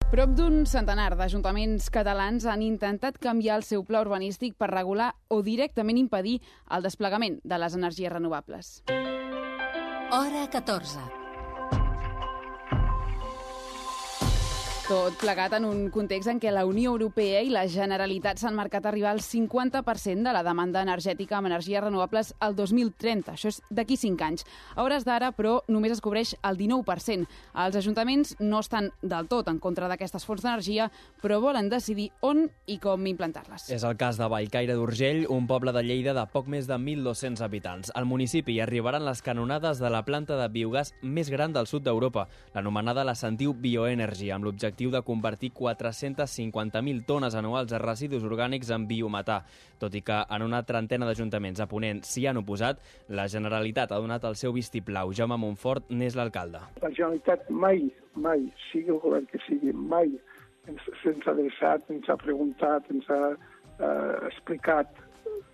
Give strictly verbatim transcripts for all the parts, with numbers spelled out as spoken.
Prop d'un centenar d'ajuntaments catalans han intentat canviar el seu pla urbanístic per regular o directament impedir el desplegament de les energies renovables. Hora catorze. Tot plegat en un context en què la Unió Europea i la Generalitat s'han marcat arribar al cinquanta per cent de la demanda energètica amb energies renovables al dos mil trenta. Això és d'aquí cinc anys. A hores d'ara, però, només es cobreix el dinou per cent. Els ajuntaments no estan del tot en contra d'aquestes fonts d'energia, però volen decidir on i com implantar-les. És el cas de Bellcaire d'Urgell, un poble de Lleida de poc més de mil dos-cents habitants. Al municipi hi arribaran les canonades de la planta de biogàs més gran del sud d'Europa, l'anomenada la Sentiu Bioenergy, amb l'objectiu de convertir quatre-centes cinquanta mil tones anuals de residus orgànics en biometà. Tot i que en una trentena d'ajuntaments a Ponent s'hi han oposat, la Generalitat ha donat el seu vistiplau. Jaume Montfort n'és l'alcalde. La Generalitat mai, mai, sigui el govern que sigui, mai se'ns ha adreçat, ens ha preguntat, ens ha eh, explicat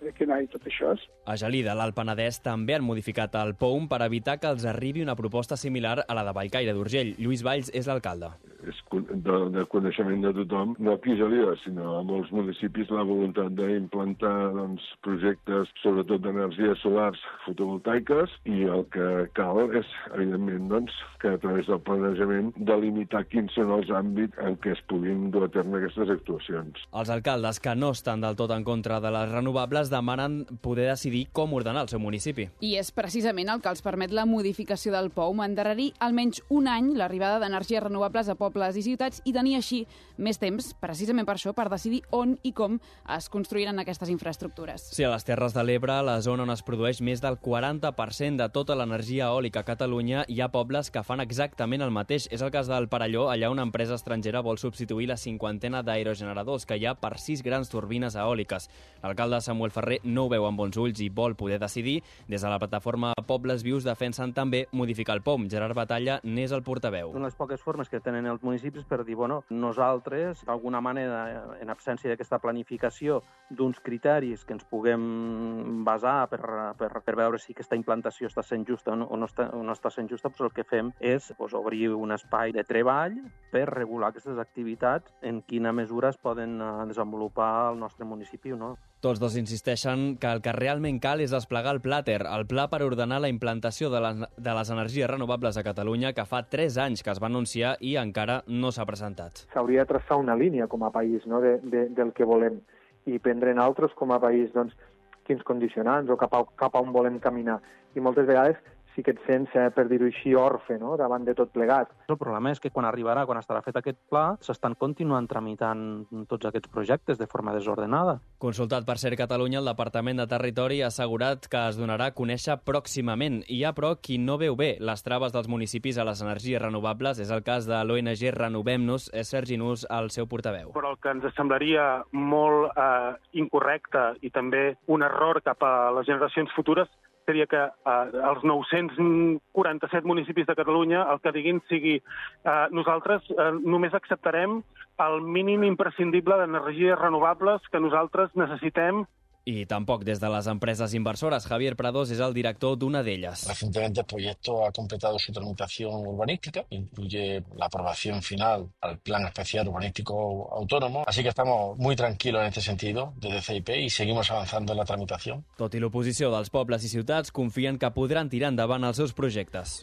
de què anava tot això. A Gelida, l'Alt Penedès, també han modificat el P O U M per evitar que els arribi una proposta similar a la de Bellcaire d'Urgell. Lluís Valls és l'alcalde. És de, de coneixement de tothom, no aquí a Gelida, sinó a molts municipis, la voluntat d'implantar doncs, projectes, sobretot d'energies solars fotovoltaiques, i el que cal és, evidentment, doncs, que a través del planejament delimitar quins són els àmbits en què es puguin dur a terme aquestes actuacions. Els alcaldes que no estan del tot en contra de les renovables demanen poder decidir com ordenar el seu municipi. I és precisament el que els permet la modificació del P O U M, endarrerir almenys un any l'arribada d'energies renovables a pobles i ciutats i tenir així més temps, precisament per això, per decidir on i com es construiran aquestes infraestructures. Sí, a les Terres de l'Ebre, la zona on es produeix més del quaranta per cent de tota l'energia eòlica a Catalunya, hi ha pobles que fan exactament el mateix. És el cas del Perelló, allà una empresa estrangera vol substituir la cinquantena d'aerogeneradors que hi ha per sis grans turbines eòliques. L'alcalde Samuel Ferrer no ho veu amb bons ulls i vol poder decidir. Des de la plataforma Pobles Vius defensen també modificar el P O U M. Gerard Batalla n'és el portaveu. Una de les poques formes que tenen els municipis per dir, bueno, nosaltres, d'alguna manera, en absència d'aquesta planificació d'uns criteris que ens puguem basar per, per, per veure si aquesta implantació està sent justa o no, o no, està, o no està sent justa, doncs el que fem és doncs, obrir un espai de treball per regular aquestes activitats, en quina mesura es poden desenvolupar al nostre municipi o no. Tots dos insisteixen que el que realment cal és desplegar el Plater, el pla per ordenar la implantació de les, de les energies renovables a Catalunya, que fa tres anys que es va anunciar i encara no s'ha presentat. S'hauria de traçar una línia com a país, no?, de, de, del que volem, i prendre en altres com a país doncs, quins condicionants o cap a, cap a on volem caminar. I moltes vegades sí que et sents, eh, per dir-ho així, orfe, no?, davant de tot plegat. El problema és que quan arribarà, quan estarà fet aquest pla, s'estan continuant tramitant tots aquests projectes de forma desordenada. Consultat per Ser Catalunya, el Departament de Territori ha assegurat que es donarà a conèixer pròximament. Hi ha, però, qui no veu bé les traves dels municipis a les energies renovables. És el cas de l'O N G Renovem-nos. És Sergi Nus, el seu portaveu. Però el que ens semblaria molt eh, incorrecte i també un error cap a les generacions futures seria que eh, els nou-cents quaranta-set municipis de Catalunya el que diguin sigui eh, nosaltres eh, només acceptarem el mínim imprescindible d'energies renovables que nosaltres necessitem. I tampoc des de les empreses inversores. Javier Prados és el director d'una d'elles. Recientemente el proyecto ha completado su tramitación urbanística, incluye la aprobación final al Plan Especial Urbanístico Autónomo, así que estamos muy tranquilos en este sentido desde C I P y seguimos avanzando en la tramitación. Tot i l'oposició dels pobles i ciutats, confien que podran tirar endavant els seus projectes.